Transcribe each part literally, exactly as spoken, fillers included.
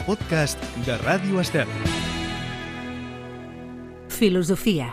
els podcasts de Ràdio Estel. Filosofia.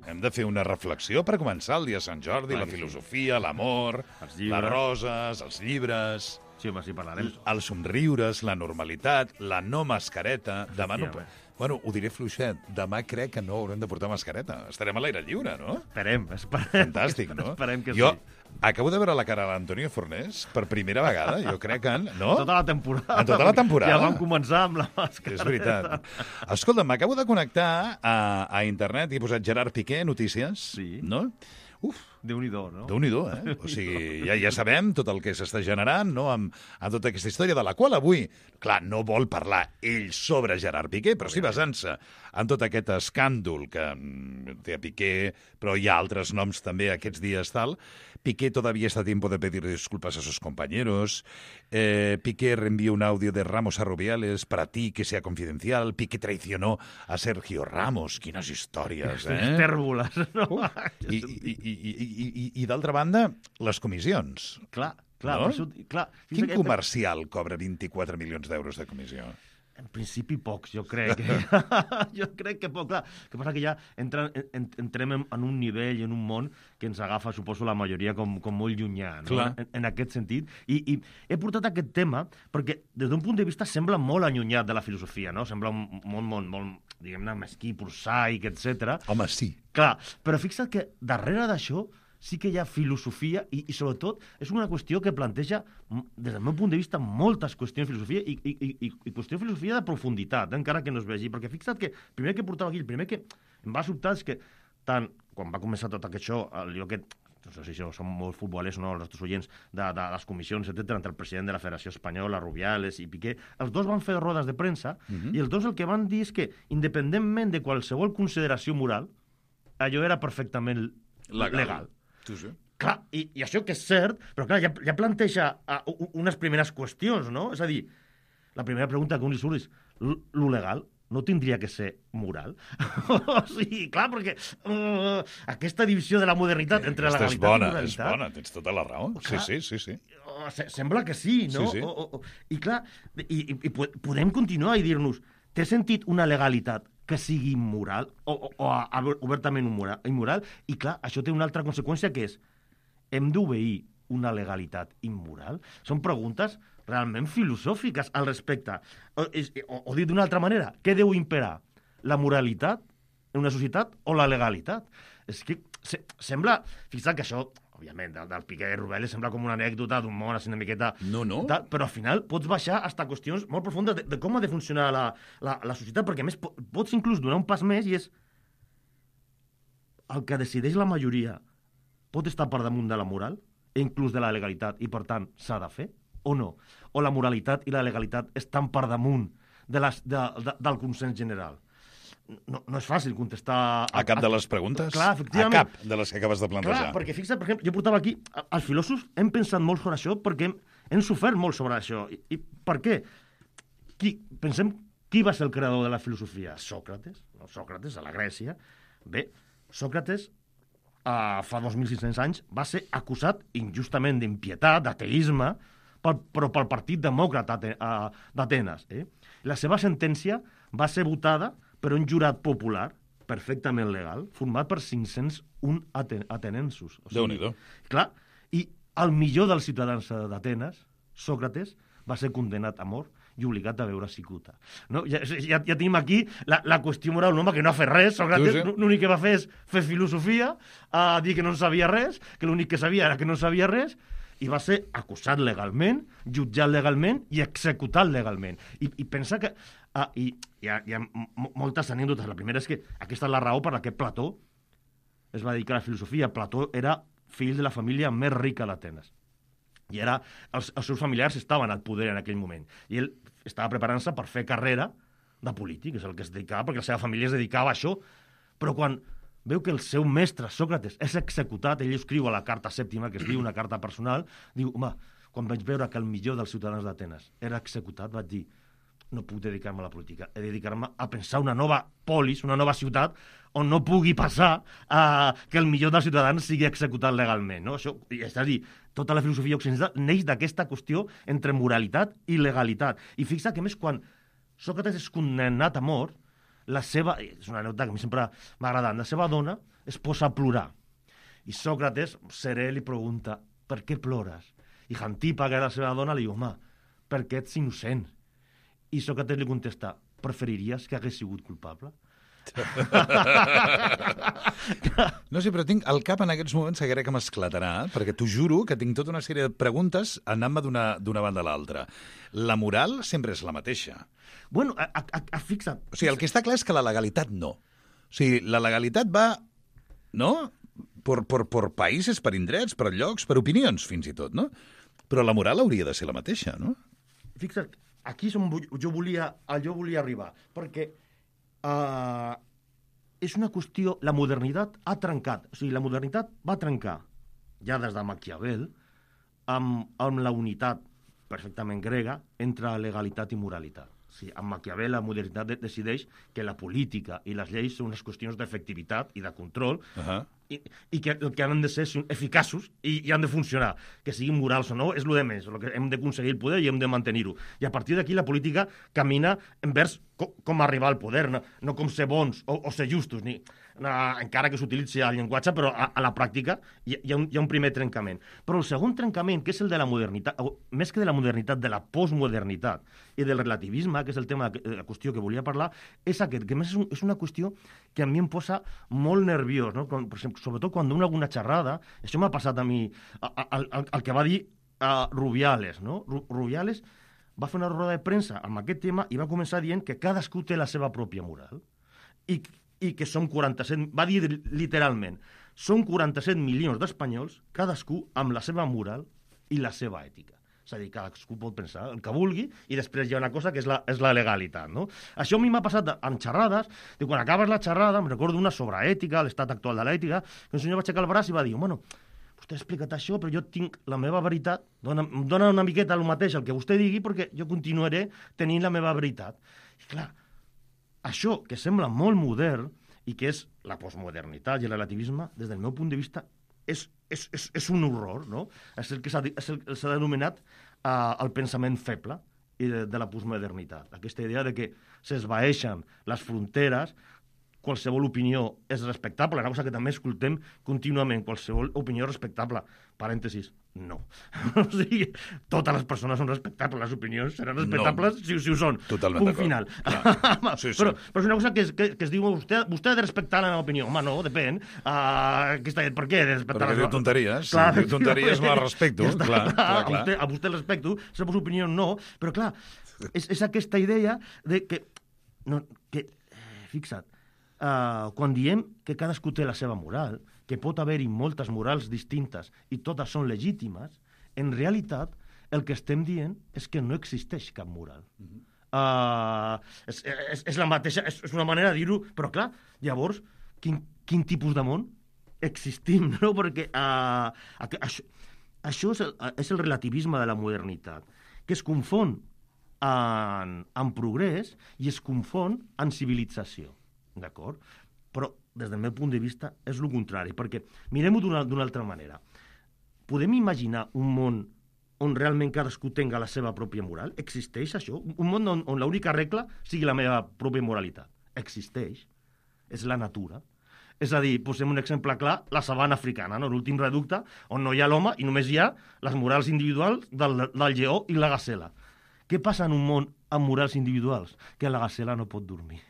Hem de fer una reflexió per començar el dia de Sant Jordi, Clar la que sí. filosofia, l'amor, Els llibres. les roses, els llibres, Sí, home, sí, parlarem. els somriures, la normalitat, la no mascareta. Demà no... Efectivament. Bueno, ho diré fluixet. Demà crec que no haurem de portar mascareta. Estarem a l'aire lliure, no? Esperem, esperem. Fantàstic, no? Esperem que jo sí. acabo de veure la cara de l'Antonio Fornés per primera vegada. Jo crec que... No? Tota la temporada. En tota la temporada. Ja vam començar amb la màscara. És veritat. Escolta, m'acabo de connectar a, a internet i he posat Gerard Piqué, notícies. Sí. No? Uf, Déu-n'hi-do, no? Déu-n'hi-do, eh? O sigui, ja, ja sabem tot el que s'està generant, no?, amb, amb tota aquesta història, de la qual avui, clar, no vol parlar ell sobre Gerard Piqué, però sí basant-se en tot aquest escàndol que mm, té a Piqué, però hi ha altres noms també aquests dies, tal. Piqué todavía está a tiempo de pedir disculpas a sus compañeros. Eh, Piqué reenvió un audio de Ramos a Rubiales para ti que sea confidencial. Piqué traicionó a Sergio Ramos. Quines històries, eh? Tèrboles, no? I, i, i, i, i, i d'altra banda, les comissions. Clar, clar. No? Per això, clar Quin que- comercial cobra vint-i-quatre milions d'euros de comissió? En principi pocs, jo crec. jo crec que poc. Clar, el que passa que ja entra, en, entrem en, en un nivell, en un món que ens agafa, suposo, la majoria com, com molt llunyà, no? Clar. En, en aquest sentit. I, I he portat aquest tema perquè, des d'un punt de vista, sembla molt allunyat de la filosofia, no? Sembla un món molt, molt diguem-ne, mesquí, prosaic, etcètera. Home, sí. Clar, però fixa't que darrere d'això sí que hi ha filosofia i, i sobretot, és una qüestió que planteja, m- des del meu punt de vista, moltes qüestions de filosofia i, i, i, i- i qüestió de filosofia de profunditat, eh, encara que no es vegi. Perquè fixa't que el primer que portava aquí, el primer que em va sobtar és que, tant, quan va començar tot aquest show, allò que no sé si són molt futbolers o no, els nostres oients, de, de les comissions, etcètera, entre el president de la Federació Espanyola, Rubiales i Piqué, els dos van fer rodes de premsa i els dos el que van dir és que, independentment de qualsevol consideració moral, allò era perfectament legal. legal. Tu sí. Clar, i, i això que és cert, però clar, ja, ja planteja uh, u- unes primeres qüestions, no? És a dir, la primera pregunta que un li surt és, "L- lo legal no tindria que ser moral?" O sigui, clar, perquè uh, aquesta divisió de la modernitat entre Aquesta és legalitat bona, i és moralitat... bona, tens tota la raó. Sí, Clar. sí, sí, sí. Uh, se- sembla que sí, no? Sí, sí. O, o, o, I clar, i, i, i po- podem continuar i dir-nos, té sentit una legalitat que sigui immoral o, o, o a- a- obertament immoral, immoral? I clar, això té una altra conseqüència que és, hem d'obeir una legalitat immoral? Són preguntes realment filosòfiques al respecte. O, és- o, o dit d'una altra manera, què deu imperar? La moralitat en una societat o la legalitat? És que se, sembla... Fixa't que això, òbviament, del, del Piqué i Rubiales sembla com una anècdota d'un món així una miqueta... No, no. Tal, però al final pots baixar fins a qüestions molt profundes de, de com ha de funcionar la, la, la societat, perquè a més po- pots inclús donar un pas més i és el que decideix la majoria pot estar per damunt de la moral i inclús de la legalitat i per tant s'ha de fer o no? O la moralitat i la legalitat estan per damunt de les, de, de, del consens general? No, no és fàcil contestar... A cap de les preguntes? Clar, A efectivament. cap de les que acabes de plantejar. Clar, perquè fixa't, per exemple, jo portava aquí, a- els filòsofs hem pensat molt sobre això perquè hem, hem sofert molt sobre això. I, i per què? Qui, pensem, qui va ser el creador de la filosofia? Sòcrates, no? Sòcrates, a la Grècia. Bé, Sòcrates, uh, fa dos mil sis-cents anys, va ser acusat injustament d'impietat, d'ateisme, pel, però pel Partit Demòcrata ate- uh, d'Atenes. Eh? La seva sentència va ser votada per un jurat popular, perfectament legal, format per cinc-cents un aten atenensos. O Déu-n'hi-do. Clar, i el millor dels ciutadans d'Atenes, Sòcrates, va ser condenat a mort i obligat a beure cicuta. No? Ja, ja, ja tenim aquí la, la qüestió moral, un home que no ha fet res, Sòcrates, Sí, sí. l'únic que va fer és fer filosofia, a dir que no en sabia res, que l'únic que sabia era que no en sabia res, i va ser acusat legalment, jutjat legalment i executat legalment. I, i pensa que... Ah, i hi ha, hi ha m- moltes anècdotes. La primera és que aquesta és la raó per la que Plató es va dedicar a la filosofia. Plató era fill de la família més rica d'Atenes. I era, els, els seus familiars estaven al poder en aquell moment. I ell estava preparant-se per fer carrera de polític, és el que es dedicava, perquè la seva família es dedicava a això. Però quan veu que el seu mestre, Sòcrates, és executat, ell escriu a la carta sèptima, que es diu una carta personal, diu, home, quan vaig veure que el millor dels ciutadans d'Atenes era executat, vaig dir, no puc dedicar-me a la política. He de dedicar-me a pensar una nova polis, una nova ciutat, on no pugui passar uh, que el millor dels ciutadans sigui executat legalment. No? Això, és a dir, tota la filosofia occidental neix d'aquesta qüestió entre moralitat i legalitat. I fixa que, més, quan Sòcrates és condemnat a mort, la seva, és una anècdota que a mi sempre m'ha agradat, la seva dona es posa a plorar. I Sòcrates, serè, li pregunta, per què plores? I Xantipa, que era la seva dona, li diu, home, perquè ets innocent. I Sòcrates li contesta, preferiries que hagués sigut culpable? No sé, però tinc el cap en aquests moments que crec que m'esclatarà, perquè t'ho juro que tinc tota una sèrie de preguntes anant-me d'una banda a l'altra. La moral sempre és la mateixa. Bueno, a, a, a, fixa't. O sigui, el que està clar és que la legalitat no. O sigui, la legalitat va, no?, per, per, per països, per indrets, per llocs, per opinions, fins i tot, no? Però la moral hauria de ser la mateixa, no? Fixa't, aquí és on jo volia, jo volia arribar, perquè uh, és una qüestió... La modernitat ha trencat, o sigui, la modernitat va trencar, ja des de Maquiavel, amb, amb la unitat perfectament grega entre legalitat i moralitat. O sigui, amb Maquiavel la modernitat de decideix que la política i les lleis són unes qüestions d'efectivitat i de control, uh-huh. i, i que, que han de ser eficaços i, i han de funcionar. Que siguin morals o no, és el de més. El que hem d'aconseguir el poder i hem de mantenir-ho. I a partir d'aquí la política camina envers com, com arribar al poder, no, no com ser bons o, o ser justos, ni, no, encara que s'utilitzi el llenguatge, però a, a la pràctica hi, hi, ha un, hi ha un primer trencament. Però el segon trencament, que és el de la modernitat, o, més que de la modernitat, de la postmodernitat i del relativisme, que és el tema, la qüestió que volia parlar, és aquest, que més és, un, és una qüestió que a mi em posa molt nerviós, no? Com, per exemple, sobretot quan dono alguna xerrada, això m'ha passat a mi, el, el, el que va dir uh, Rubiales, no? Rubiales va fer una roda de premsa amb aquest tema i va començar dient que cadascú té la seva pròpia moral i, i que són quaranta-set, va dir literalment, són quaranta-set milions d'espanyols, cadascú amb la seva moral i la seva ètica. És a dir, cadascú pot pensar el que vulgui i després hi ha una cosa que és la, és la legalitat, no? Això a mi m'ha passat en xerrades, de quan acabes la xerrada, em recordo una sobre ètica, l'estat actual de l'ètica, que un senyor va aixecar el braç i va dir, bueno, vostè ha explicat això, però jo tinc la meva veritat, dona, em dona una miqueta el mateix el que vostè digui, perquè jo continuaré tenint la meva veritat. I clar, això que sembla molt modern i que és la postmodernitat i el relativisme, des del meu punt de vista, és, és, és, és un horror, no? És el que s'ha denominat uh, el pensament feble i de, de la postmodernitat. Aquesta idea de que s'esvaeixen les fronteres, qualsevol opinió és respectable, una cosa que també escoltem contínuament, qualsevol opinió respectable. Parèntesis, no. O sigui, totes les persones són respectables, les opinions seran respectables no. si, si ho són. Totalment Punt final. Sí, sí. Però, però és una cosa que es, que, que es diu, vostè, vostè ha de respectar la meva opinió. Home, no, depèn. Uh, aquesta, per què he de respectar? Perquè diu tonteries. Clar, si diu tonteries no la respecto. Ja clar, clar, clar. A, vostè, a vostè el respecto, la seva opinió no, però clar, és, és aquesta idea de que, no, que fixa't, Uh, quan diem que cadascú té la seva moral, que pot haver-hi moltes morals distintes i totes són legítimes, en realitat el que estem dient és que no existeix cap moral. Uh-huh. uh, és, és, és la mateixa, és, és una manera de dir-ho, però clar, llavors, quin, quin tipus de món existim, no? Perquè uh, això, això és, el, és el relativisme de la modernitat, que es confon en, en progrés i es confon en civilització. D'acord? Però, des del meu punt de vista, és el contrari, perquè mirem-ho d'una, d'una altra manera. Podem imaginar un món on realment cadascú tenga la seva pròpia moral? Existeix això? Un món on, on l'única regla sigui la meva pròpia moralitat? Existeix. És la natura. És a dir, posem un exemple clar, la sabana africana, no? L'últim reducte, on no hi ha l'home i només hi ha les morals individuals del, del lleó i la gacela. Què passa en un món amb morals individuals? Que la gacela no pot dormir.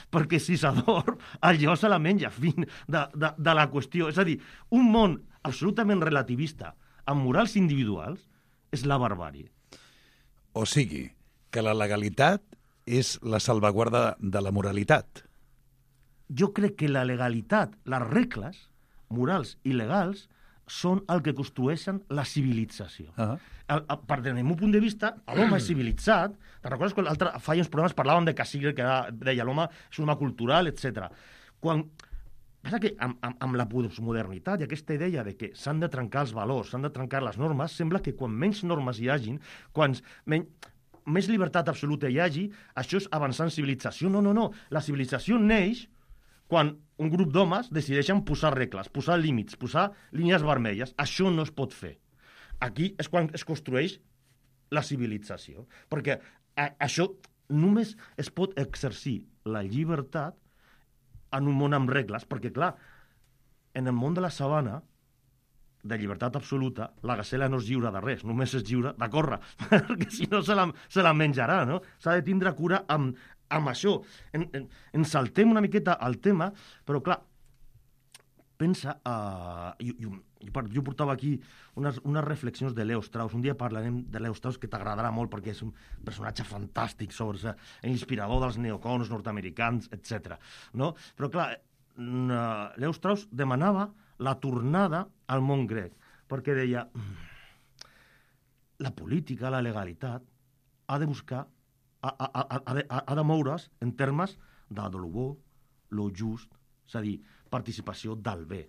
Perquè si s'adorm, el lleó se la menja, fin de, de, de la qüestió. És a dir, un món absolutament relativista amb morals individuals és la barbàrie. O sigui, que la legalitat és la salvaguarda de la moralitat. Jo crec que la legalitat, les regles morals i legals, són el que construeixen la civilització. Uh-huh. El, el, per del meu punt de vista, l'home és civilitzat. Te'n recordes que l'altre, fa uns programes parlaven de Cassirer, que deia l'home és un home cultural, etcètera. Quan passa que amb, amb, amb la postmodernitat i aquesta idea de que s'han de trencar els valors, s'han de trencar les normes, sembla que quan menys normes hi hagin, quan menys... més llibertat absoluta hi hagi, això és avançar en civilització. No, no, no. La civilització neix quan un grup d'homes decideixen posar regles, posar límits, posar línies vermelles. Això no es pot fer. Aquí és quan es construeix la civilització. Perquè a, això només es pot exercir la llibertat en un món amb regles, perquè, clar, en el món de la sabana, de llibertat absoluta, la gacela no és lliure de res, només és lliure de córrer, perquè si no se la, se la menjarà, no? S'ha de tindre cura amb, amb això. En, en, en saltem una miqueta al tema, però clar, pensa... Uh, jo, jo, jo portava aquí unes, unes reflexions de Leo Strauss. Un dia parlarem de Leo Strauss, que t'agradarà molt, perquè és un personatge fantàstic, sobre l'inspirador dels neocons nord-americans, etcètera. No? Però clar, Leo Strauss demanava la tornada al món grec, perquè deia la política, la legalitat ha de buscar, ha, ha, ha, ha, de, ha de moure's en termes de lo bo, lo just, és a dir, participació del bé.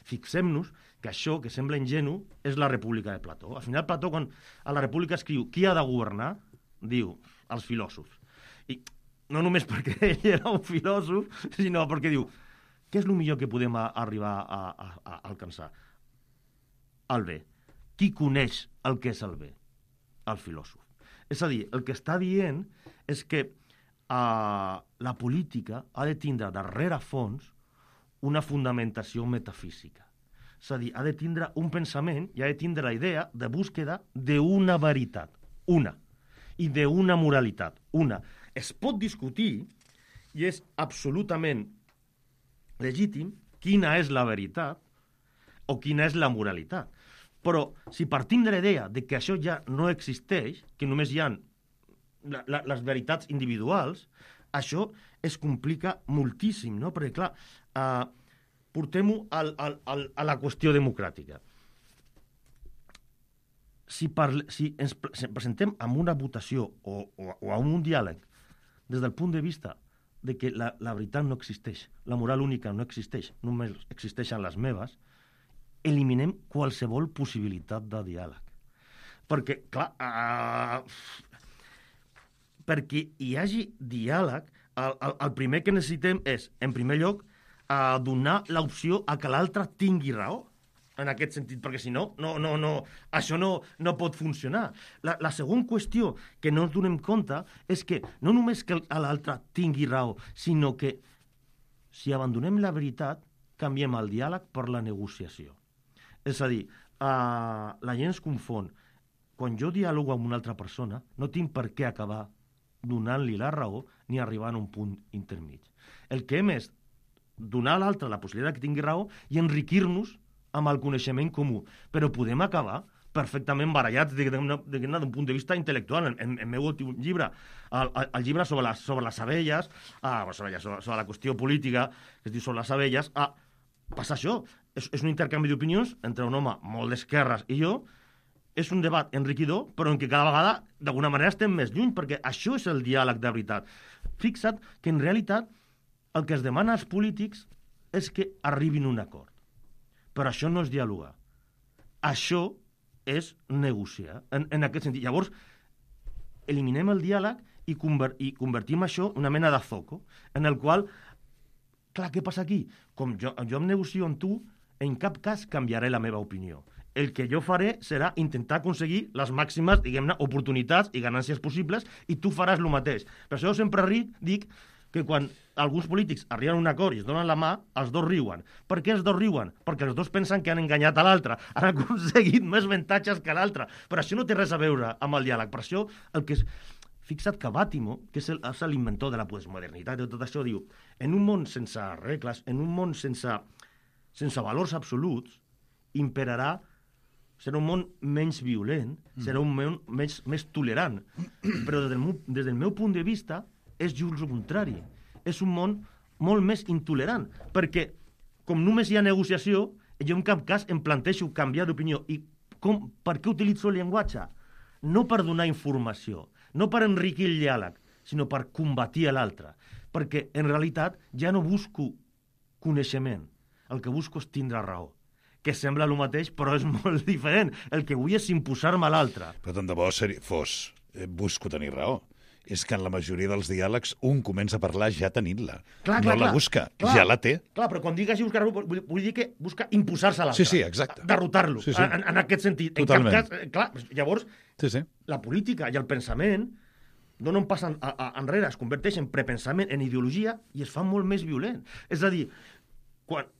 Fixem-nos que això, que sembla ingenu, és la República de Plató. Al final, Plató, quan a la República escriu qui ha de governar, diu els filòsofs. I no només perquè ell era un filòsof, sinó perquè diu què és el millor que podem a, arribar a, a, a alcançar? El bé. Qui coneix el que és el bé? El filòsof. És a dir, el que està dient és que uh, la política ha de tindre darrere fons una fundamentació metafísica. És a dir, ha de tindre un pensament i ha de tindre la idea de búsqueda d'una veritat, una, i d'una moralitat, una. Es pot discutir, i és absolutament legítim, quina és la veritat o quina és la moralitat. Però si partim de la idea de que això ja no existeix, que només hi ha la, la, les veritats individuals, això es complica moltíssim, no? Perquè, clar, eh, portem-ho al, al, al, a la qüestió democràtica. Si, parle, si ens presentem amb una votació o, o, o amb un diàleg des del punt de vista de que la, la veritat no existeix, la moral única no existeix, només existeixen les meves, eliminem qualsevol possibilitat de diàleg. Perquè, clar, uh, perquè hi hagi diàleg, el, el, el primer que necessitem és, en primer lloc, uh, donar l'opció a que l'altre tingui raó, en aquest sentit, perquè si no, no, no, no això no, no pot funcionar. La, la segona qüestió que no ens donem compte és que no només que l'altre tingui raó, sinó que si abandonem la veritat, canviem el diàleg per la negociació. És a dir, uh, la gent es confon. Quan jo diàlogo amb una altra persona, no tinc per què acabar donant-li la raó ni arribar a un punt intermig. El que hem és donar a l'altre la possibilitat que tingui raó i enriquir-nos amb el coneixement comú, però podem acabar perfectament barallats d'un punt de vista intel·lectual. En el meu últim llibre, el, el llibre sobre les, sobre les abelles, ah, sobre, sobre la qüestió política, que es diu sobre les abelles, ah, passa això, és, és un intercanvi d'opinions entre un home molt d'esquerres i jo, és un debat enriquidor, però en què cada vegada, d'alguna manera, estem més lluny, perquè això és el diàleg de veritat. Fixa't que, en realitat, el que es demana als polítics és que arribin a un acord. Però això no és dialogar. Això és negociar, en, en aquest sentit. Llavors, eliminem el diàleg i, conver i convertim això en una mena de zoco, en el qual, clar, què passa aquí? Com jo, jo em negocio amb tu, en cap cas canviaré la meva opinió. El que jo faré serà intentar aconseguir les màximes, diguem-ne, oportunitats i ganàncies possibles, i tu faràs el mateix. Per això sempre ric, dic que quan alguns polítics arriben a un acord i es donen la mà, els dos riuen. Per què els dos riuen? Perquè els dos pensen que han enganyat a l'altre, han aconseguit més avantatges que l'altre. Però això no té res a veure amb el diàleg. Per això, el que és... Fixa't que Bàtimo, que és l'inventor de la postmodernitat i tot això, diu, en un món sense regles, en un món sense, sense valors absoluts, imperarà, serà un món menys violent, serà un món més, més tolerant. Però des del, meu, des del meu punt de vista, és just el contrari. És un món molt més intolerant, perquè com només hi ha negociació, jo en cap cas em plantejo canviar d'opinió. I com, per què utilitzo el llenguatge? No per donar informació, no per enriquir el diàleg, sinó per combatir a l'altre. Perquè, en realitat, ja no busco coneixement. El que busco és tindre raó. Que sembla el mateix, però és molt diferent. El que vull és imposar-me a l'altre. Però tant de bo seri... fos eh, busco tenir raó. És que en la majoria dels diàlegs un comença a parlar ja tenint-la. Clar, no clar, la clar. busca, Clar. ja la té. Clar, però quan digues buscar, vull, vull dir que busca imposar-se a l'altre. Sí, sí, exacte. Derrotar-lo, Sí, sí. en, en aquest sentit. Totalment. En cap cas, eh, clar, llavors, Sí, sí. la política i el pensament donen un pas en, a, a, enrere, es converteix en prepensament, en ideologia, i es fa molt més violent. És a dir, quan...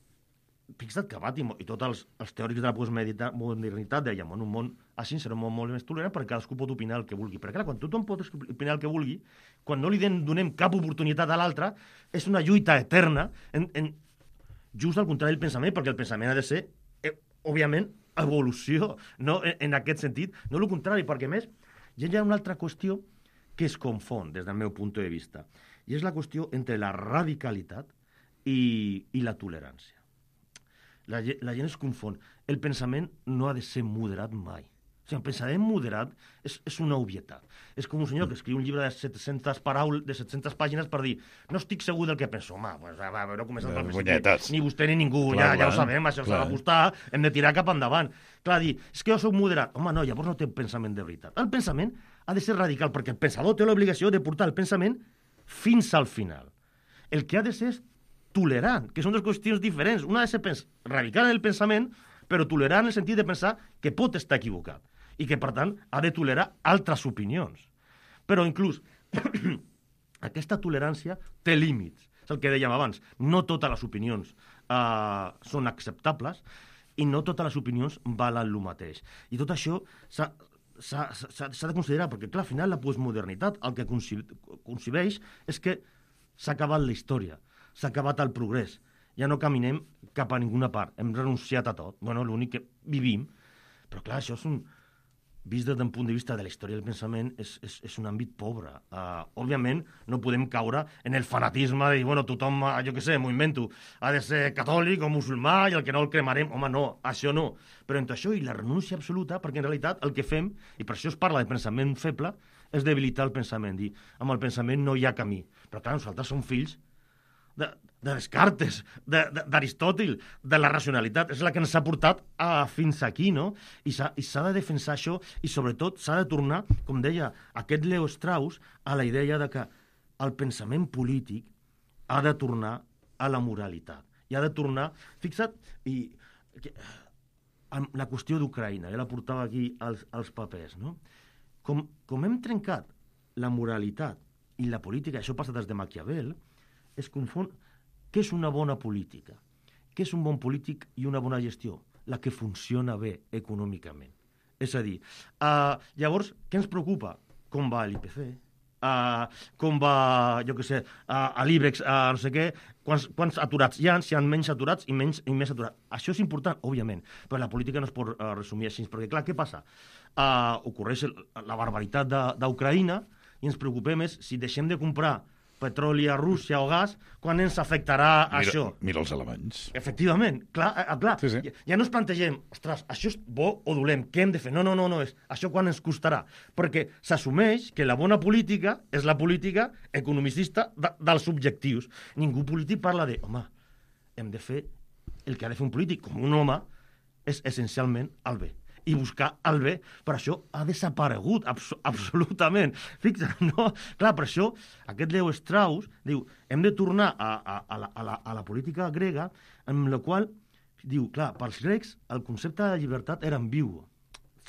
Fixa't que Bat i, i tots els, els teòrics de la postmodernitat dèiem, en un món així serà un món molt més tolerant perquè cadascú pot opinar el que vulgui. Perquè clar, quan tothom pot opinar el que vulgui, quan no li donem cap oportunitat a l'altre, és una lluita eterna, en, en, just al contrari del pensament, perquè el pensament ha de ser, eh, òbviament, evolució, no? en, en aquest sentit. No el contrari, perquè a més, hi ha una altra qüestió que es confon des del meu punt de vista, i és la qüestió entre la radicalitat i, i la tolerància. La, la gent es confon. El pensament no ha de ser moderat mai. O sigui, el pensament moderat és, és una obvietat. És com un senyor que escriu un llibre de set-centes paraules, de set-centes pàgines per dir no estic segur del que penso. Home, pues, va, va, no comencem pel principi. Ni vostè ni ningú, clar, ja, ja ho sabem, això s'ha de gustar, hem de tirar cap endavant. Clar, dir, és que jo soc moderat. Home, no, llavors no té pensament de veritat. El pensament ha de ser radical, perquè el pensador té l'obligació de portar el pensament fins al final. El que ha de ser és tolerant, que són dues qüestions diferents. Una ha de ser pens- radical en el pensament, però tolerant en el sentit de pensar que pot estar equivocat i que, per tant, ha de tolerar altres opinions. Però, inclús, aquesta tolerància té límits. És el que dèiem abans. No totes les opinions uh, són acceptables i no totes les opinions valen el mateix. I tot això s'ha, s'ha, s'ha, s'ha de considerar, perquè, clar, al final la postmodernitat el que concebeix és que s'ha acabat la història, s'ha acabat el progrés, ja no caminem cap a ninguna part, hem renunciat a tot, bueno, l'únic que vivim, però clar, això és un, vist des d'un punt de vista de la història del pensament, és, és, és un àmbit pobre. Uh, òbviament, no podem caure en el fanatisme de dir, bueno, tothom, jo què sé, m'ho invento, ha de ser catòlic o musulmà i el que no el cremarem, home, no, això no. Però entre això i la renúncia absoluta, perquè en realitat el que fem, i per això es parla de pensament feble, és debilitar el pensament, dir, amb el pensament no hi ha camí. Però clar, nosaltres som fills de, de Descartes, de, de, d'Aristòtil, de la racionalitat. És la que ens ha portat a, fins aquí, no? I s'ha, i s'ha de defensar això i, sobretot, s'ha de tornar, com deia aquest Leo Strauss, a la idea de que el pensament polític ha de tornar a la moralitat. I ha de tornar... Fixa't, i, que, amb la qüestió d'Ucraïna, ja la portava aquí als, als papers, no? Com, com hem trencat la moralitat i la política, això passa des de Maquiavel, es confon què és una bona política, què és un bon polític i una bona gestió, la que funciona bé econòmicament. És a dir, uh, llavors, què ens preocupa? Com va l'I P C? Uh, com va, jo què sé, uh, a l'Ibex, uh, no sé què, quants, quants aturats hi ha, si hi ha menys aturats i, menys, i més aturats. Això és important, òbviament, però la política no es pot uh, resumir així, perquè, clar, què passa? Uh, ocorreix la barbaritat d'Ucraïna i ens preocupem és si deixem de comprar petroli a Rússia o gas, quan ens afectarà mira, això? Mira els alemanys. Efectivament, clar, eh, clar. Sí, sí. Ja, ja no es plantegem, ostres, això és bo o dolent, què hem de fer? No, no, no, no, és això quan ens costarà? Perquè s'assumeix que la bona política és la política economicista de, dels objectius. Ningú polític parla de, home, hem de fer el que ha de fer un polític, com un home, és essencialment el bé. I buscar el bé, per això ha desaparegut, abs absolutament. Fixa't, no? Clar, per això aquest Leo Strauss diu, hem de tornar a, a, a, la, a, la, a la política grega, en la qual, diu, clar, pels grecs el concepte de llibertat era ambigu.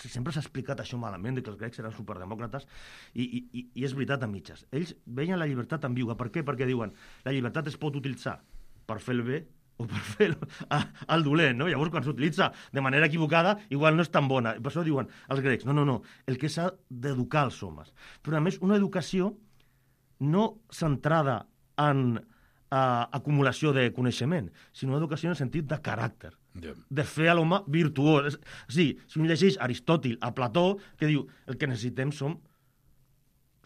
Sempre s'ha explicat això malament, de que els grecs eren superdemòcrates, i, i, i és veritat a mitges. Ells veien la llibertat ambigua. Per què? Perquè diuen, la llibertat es pot utilitzar per fer el bé o per fer el dolent, no? Llavors, quan s'utilitza de manera equivocada, igual no és tan bona. Per això diuen els grecs, no, no, no, el que s'ha d'educar els homes. Però, a més, una educació no centrada en uh, acumulació de coneixement, sinó una educació en el sentit de caràcter, yeah. de fer a l'home virtuós. Sí, si un llegeix Aristòtil a Plató, que diu, el que necessitem som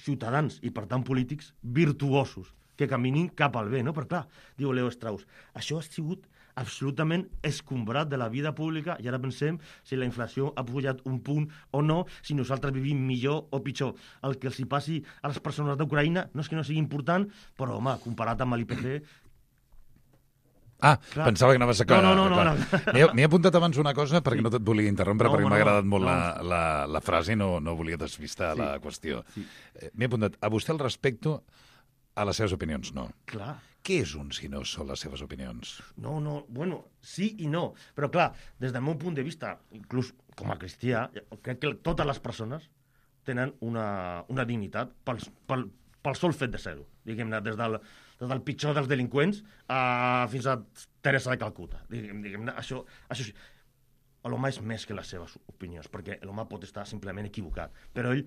ciutadans i, per tant, polítics virtuosos, que caminin cap al bé, no? Però clar, diu Leo Strauss, això ha sigut absolutament escombrat de la vida pública i ara pensem si la inflació ha pujat un punt o no, si nosaltres vivim millor o pitjor. El que els hi passi a les persones d'Ucraïna no és que no sigui important, però, home, comparat amb l'I P C, Ah, Clar. pensava que anaves a... No, no, no, no, clar. no. M'he m'he apuntat abans una cosa perquè no et volia interrompre, No, perquè home, m'ha no, agradat molt no. la, la, la frase i no, no volia despistar Sí. la qüestió. Sí. Eh, M'he apuntat, a vostè el respecto, a les seves opinions no. Clar. Què és un si no són les seves opinions? No, no, bueno, sí i no. Però, clar, des del meu punt de vista, inclús com a cristià, crec que totes les persones tenen una, una dignitat pel, pel, pel sol fet de ser-ho. Diguem-ne, des del, des del pitjor dels delinqüents a, fins a Teresa de Calcuta. Diguem, diguem-ne, això, això sí. L'home és més que les seves opinions, perquè l'home pot estar simplement equivocat. Però ell,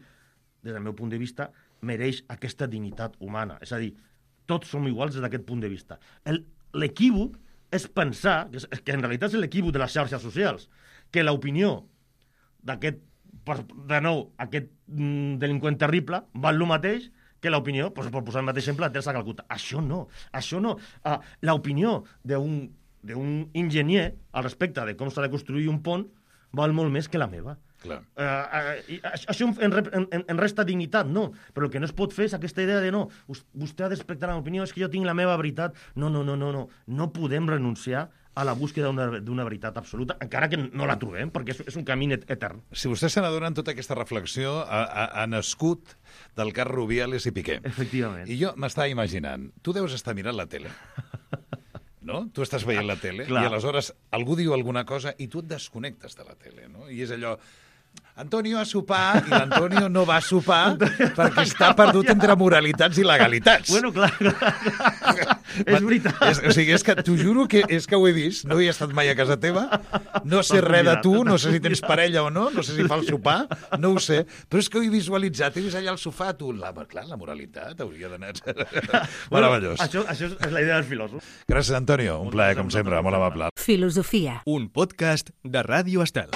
des del meu punt de vista, mereix aquesta dignitat humana. És a dir, tots som iguals des d'aquest punt de vista. El- L'equívoc és pensar, que, és, que en realitat és l'equívoc de les xarxes socials, que l'opinió d'aquest, per- de nou, aquest mm, delinqüent terrible val el mateix que l'opinió, doncs, per posar el mateix exemple, de Teresa de Calcuta. Això no, això no. Uh, l'opinió d'un d'un enginyer al respecte de com s'ha de construir un pont val molt més que la meva. Clar. Uh, uh, i això en, rep- en, en resta dignitat, no. Però el que no es pot fer és aquesta idea de no, us- vostè ha de respectar la meva opinió, és que jo tinc la meva veritat. No, no, no, no, no. No podem renunciar a la búsqueda d'una d'una veritat absoluta, encara que no la trobem, perquè és, és un camí et- etern. Si vostè se n'adona, tota aquesta reflexió ha, ha, ha nascut del cas Rubiales i Piqué. Efectivament. I jo m'estava imaginant, tu deus estar mirant la tele, no? Tu estàs veient la tele Clar. i aleshores algú diu alguna cosa i tu et desconnectes de la tele, no? I és allò... Antonio a sopar i l'Antonio no va a sopar perquè està perdut entre moralitats i legalitats. Bueno, clar, clar, clar. És veritat. És, o sigui, és que t'ho juro que és que ho he vist, no he estat mai a casa teva, no sé res de tu, no sé si tens parella o no, no sé si fa el sopar, no ho sé, però és que ho he visualitzat, he vist allà al sofà, tu, la, clar, la moralitat hauria d'anar... Meravellós. Això, això és la idea del filòsof. Gràcies, Antonio, un plaer, com sempre, molt amable. Un podcast de Ràdio Estel.